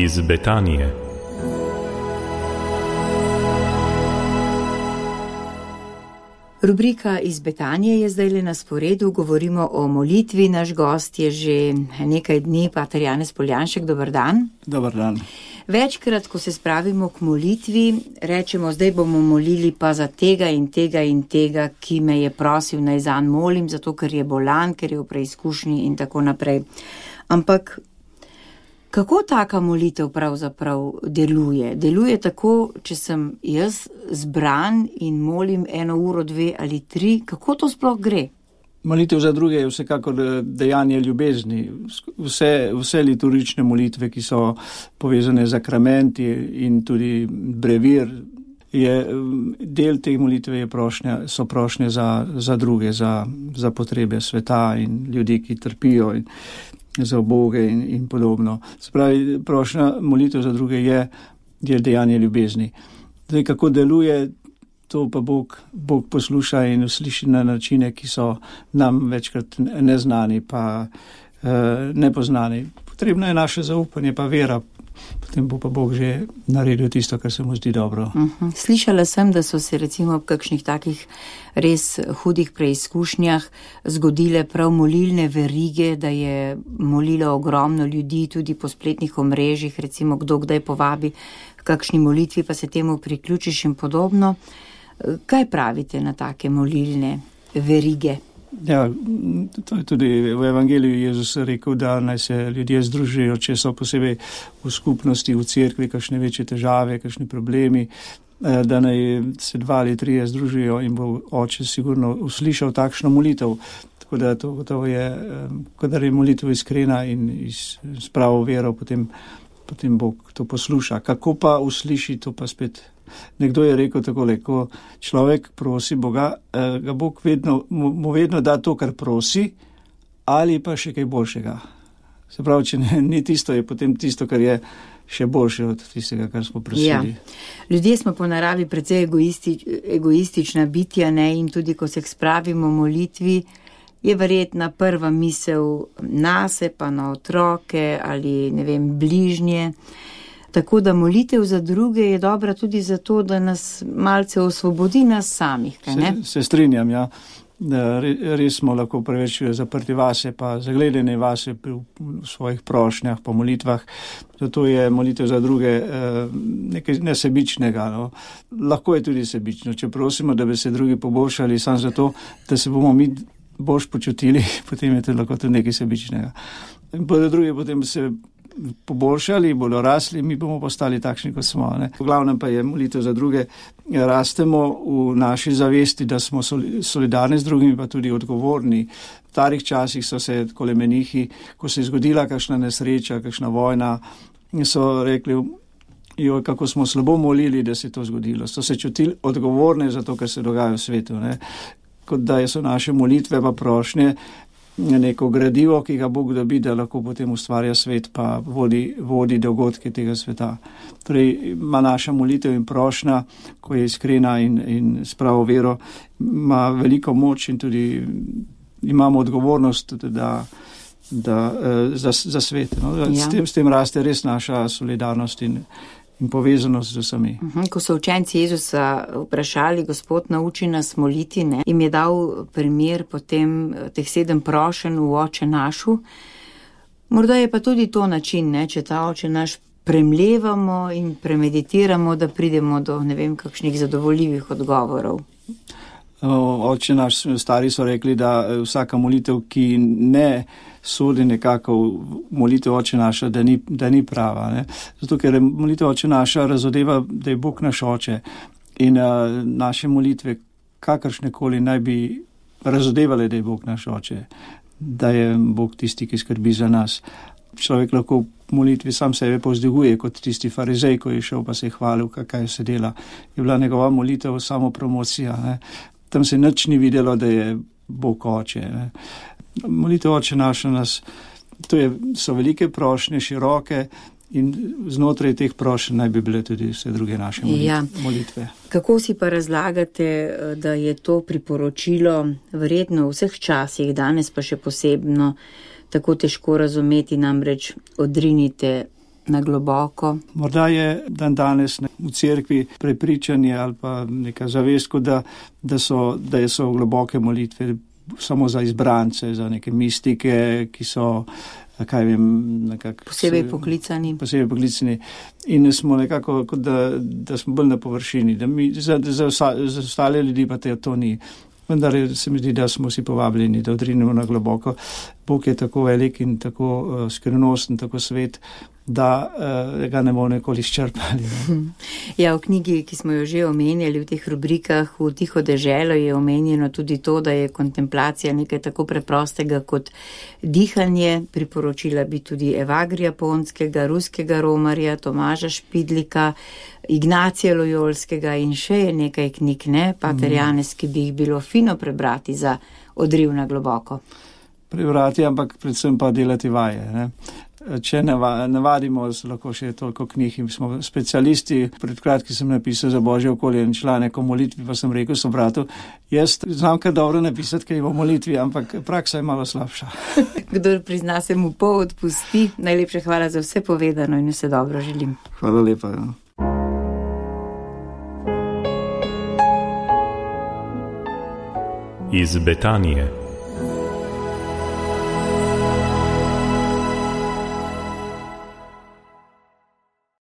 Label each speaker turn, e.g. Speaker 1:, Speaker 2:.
Speaker 1: iz Betanije.
Speaker 2: Rubrika iz Betanije je zdaj na sporedu, govorimo o molitvi. Naš gost je že nekaj dni, pater Janez Poljanšek, dober dan.
Speaker 3: Dober dan.
Speaker 2: Večkrat, ko se spravimo k molitvi, rečemo, zdaj bomo molili pa za tega in tega in tega, ki me je prosil, naj zanj molim, zato ker je bolan, ker je v preizkušnji in tako naprej. Ampak kako taka molitev pravzaprav deluje? Deluje tako, če sem jaz zbran in molim 1 uro, 2 ali 3, kako to sploh gre?
Speaker 3: Molitev za druge je vsekakor dejanje ljubezni. Vse liturgične molitve, ki so povezane z sakramenti in tudi brevir, je del te molitve so prošnje za druge, za potrebe sveta in ljudi, ki trpijo in za uboge in podobno. Se pravi, prošnja molitev za druge je dejanje ljubezni. Zdaj, kako deluje, to pa Bog posluša in usliši na načine, ki so nam večkrat neznani pa nepoznani. Potrebno je naše zaupanje pa vera, potem bo pa Bog že naredil tisto, kar se mu zdi dobro.
Speaker 2: Slišala sem, da so se recimo ob kakšnih takih res hudih preizkušnjah zgodile prav molilne verige, da je molilo ogromno ljudi tudi po spletnih omrežjih, recimo kdo kdaj povabi v kakšni molitvi, pa se temu priključiš in podobno. Kaj pravite na take molilne verige?
Speaker 3: Ja, to je tudi v Evangeliju Jezus rekel, da naj se ljudje združijo, če so posebej v skupnosti, v cerkvi, kakšne večje težave, kakšni problemi, da naj se 2 ali 3 združijo in bo Oče sigurno uslišal takšno molitev. Tako da to gotovo je, kadar je molitev iskrena in s pravo vero, potem Bog to posluša. Kako pa usliši, to pa spet. Nekdo je rekel takole, ko človek prosi Boga, ga Bog mu vedno da to, kar prosi, ali pa še kaj boljšega. Se pravi, če ni tisto, je potem tisto, kar je še boljše od tistega, kar smo prosili.
Speaker 2: Ja. Ljudje smo po naravi precej egoistična bitja, ne? In tudi, ko se spravimo molitvi, je verjetna prva misel nase, pa na otroke ali, ne vem, bližnje. Tako da molitev za druge je dobra tudi zato, da nas malce osvobodi nas samih, kaj ne?
Speaker 3: Se strinjam, ja. Res smo lahko preveč zaprti vase, pa zagledane vase v svojih prošnjah, po molitvah. Zato je molitev za druge nekaj nesebičnega. No. Lahko je tudi sebično. Če prosimo, da bi se drugi poboljšali, samo zato, da se bomo mi boljš počutili, potem je to lahko tudi nekaj sebičnega. In drugi potem se poboljšali, bodo rasli, mi bomo postali takšni, kot smo. Ne? V glavnem pa je molitev za druge. Rastemo v naši zavesti, da smo solidarni z drugimi, pa tudi odgovorni. V starih časih so se takole menihi, ko se je zgodila kakšna nesreča, kakšna vojna, so rekli, kako smo slabo molili, da se je to zgodilo. So se čutili odgovorne za to, kar se dogaja v svetu. Ne? Kot da so naše molitve pa prošnje neko gradivo, ki ga Bog dobi, da lahko potem ustvarja svet, pa vodi dogodke tega sveta. Torej, ima naša molitev in prošnja, ko je iskrena in s pravo vero, ima veliko moč in tudi imamo odgovornost, za svet. No? Ja. S tem raste res naša solidarnost in povezanost z vsemi.
Speaker 2: Ko so učenci Jezusa vprašali, Gospod, nauči nas moliti, ne? Im je dal primer potem teh 7 prošenj v Oče našu. Morda je pa tudi to način, ne? Če ta Oče naš premlevamo in premeditiramo, da pridemo do, ne vem, kakšnih zadovoljivih odgovorov.
Speaker 3: Oče naš, stari so rekli, da vsaka molitev, ki ne sodi nekako v molitev Oče naša, da ni prava. Ne? Zato, ker molitev Oče naša razodeva, da je Bog naš Oče in naše molitve kakršnekoli naj bi razodevale, da je Bog naš Oče, da je Bog tisti, ki skrbi za nas. Človek lahko v molitvi sam sebe povzdiguje, kot tisti farizej, ko je šel pa se je hvalil, kaj se dela. Je bila njegova molitev samo promocija. Ne? Tam se nič ni videlo, da je Bog Oče. Ne? Molitev Oče naša nas, so velike prošnje, široke in znotraj teh prošenj naj bi bile tudi vse druge naše molitve.
Speaker 2: Kako si pa razlagate, da je to priporočilo verjetno v vseh časih, danes pa še posebno tako težko razumeti, namreč odrinite na globoko.
Speaker 3: Morda je dan danes v cerkvi prepričanje ali pa neka zavest, da so globoke molitve samo za izbrance, za neke mistike, ki so, kaj vem, nekako
Speaker 2: posebej poklicani. In smo nekako, kot da smo bolj na površini, da mi za ostale ljudi pa to ni. Vendar se mi zdi, da smo si povabljeni, da odrinemo na globoko. Bog je tako velik in tako skrivnosten, tako svet, da ga ne bomo nikoli izčrpali. Ja, v knjigi, ki smo jo že omenjali v teh rubrikah, v Tiho deželo je omenjeno tudi to, da je kontemplacija nekaj tako preprostega kot dihanje. Priporočila bi tudi Evagrija Ponskega, ruskega romarja, Tomaža Špidlika, Ignacija Lojolskega in še je nekaj knjig, Pater Janez, ki bi jih bilo fino prebrati za odriv na globoko.
Speaker 3: Prebrati, ampak predvsem pa delati vaje. Če navadimo, lahko še toliko knjig in smo specialisti. Pred kratkim sem napisal za Božje okolje in članek o molitvi, pa sem rekel sobratu, jaz znam kar dobro napisati, kaj o molitvi, ampak praksa je malo slabša.
Speaker 2: Kdor prizna, se mu pol odpusti. Najlepše hvala za vse povedano in vse dobro želim.
Speaker 3: Hvala lepa.
Speaker 1: Iz Betanije.